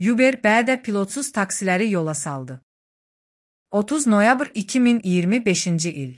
Uber bədə pilotsuz taksiləri yola saldı. 30 noyabr 2025-ci il.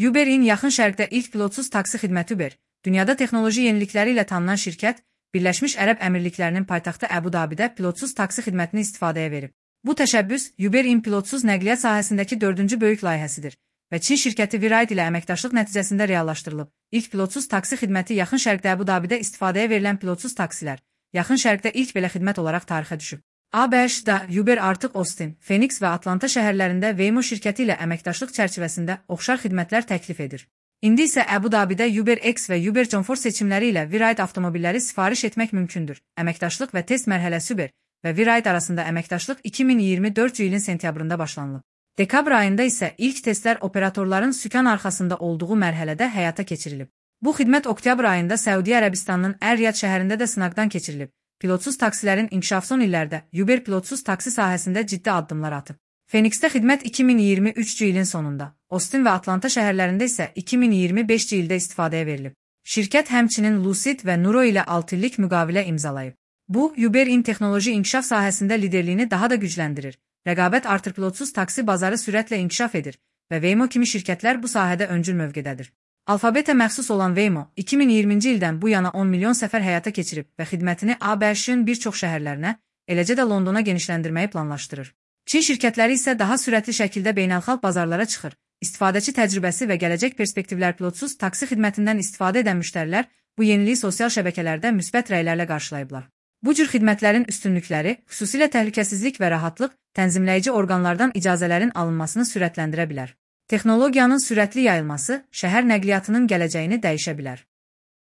Uber'in yaxın şərqdə ilk pilotsuz taksi xidməti Uber, dünyada texnoloji yenilikləri ilə tanınan şirkət, Birləşmiş Ərəb Əmirliklərinin paytaxtı Əbu-Dabidə pilotsuz taksi xidmətini istifadəyə verib. Bu təşəbbüs Uber'in pilotsuz nəqliyyat sahəsindəki 4-cü böyük layihəsidir və Çin şirkəti Viride ilə əməkdaşlıq nəticəsində reallaşdırılıb. İlk pilotsuz taksi xidməti yaxın şərqdə Əbu-Dabidə istifadəyə verilən pilotsuz taksilər, yaxın şərqdə ilk belə xidmət olaraq tarixə düşüb. ABŞ-da Uber artıq Austin, Phoenix və Atlanta şəhərlərində Waymo şirkəti ilə əməkdaşlıq çərçivəsində oxşar xidmətlər təklif edir. İndi isə Əbu-Dabidə UberX və Uber John Ford seçimləri ilə Viride avtomobilləri sifariş etmək mümkündür. Əməkdaşlıq və test mərhələsi Uber və Viride arasında əməkdaşlıq 2024-cü ilin sentyabrında başlanılıb. Dekabr ayında isə ilk testlər operatorların sükan arxasında olduğu mərhələdə həyata keçirilib. Bu xidmət oktyabr ayında Səudiyyə Ərəbistanının Ər-Riyad şəhərində də sınaqdan keçirilib. Pilotsuz taksilərin inkişafı son illərdə Uber pilotsuz taksi sahəsində ciddi addımlar atıb. Phoenixdə xidmət 2023-cü ilin sonunda, Austin və Atlanta şəhərlərində isə 2025-ci ildə istifadəyə verilib. Şirkət həmçinin Lucid və Nuro ilə 6 illik müqavilə imzalayıb. Bu, Uber'in texnoloji inkişaf sahəsində liderliyini daha da gücləndirir. Rəqabət artır, pilotsuz taksi bazarı sürətlə inkişaf edir və Waymo kimi şirkətlər bu sahədə öncül mövqedədir. Alfabetə məxsus olan Waymo 2020-ci ildən bu yana 10 milyon səfər həyata keçirib və xidmətini ABŞ-ın bir çox şəhərlərinə, eləcə də Londona genişləndirməyi planlaşdırır. Çin şirkətləri isə daha sürətli şəkildə beynəlxalq bazarlara çıxır. İstifadəçi təcrübəsi və gələcək perspektivlər pilotsuz taksi xidmətindən istifadə edən müştərilər bu yeniliyi sosial şəbəkələrdə müsbət rəylərlə qarşılayıblar. Bu cür xidmətlərin üstünlükləri, xüsusilə təhlükəsizlik və rahatlıq, tənzimləyici orqanlardan icazələrin alınmasını sürətləndirə bilər. Texnologiyanın sürətli yayılması şəhər nəqliyyatının gələcəyini dəyişə bilər.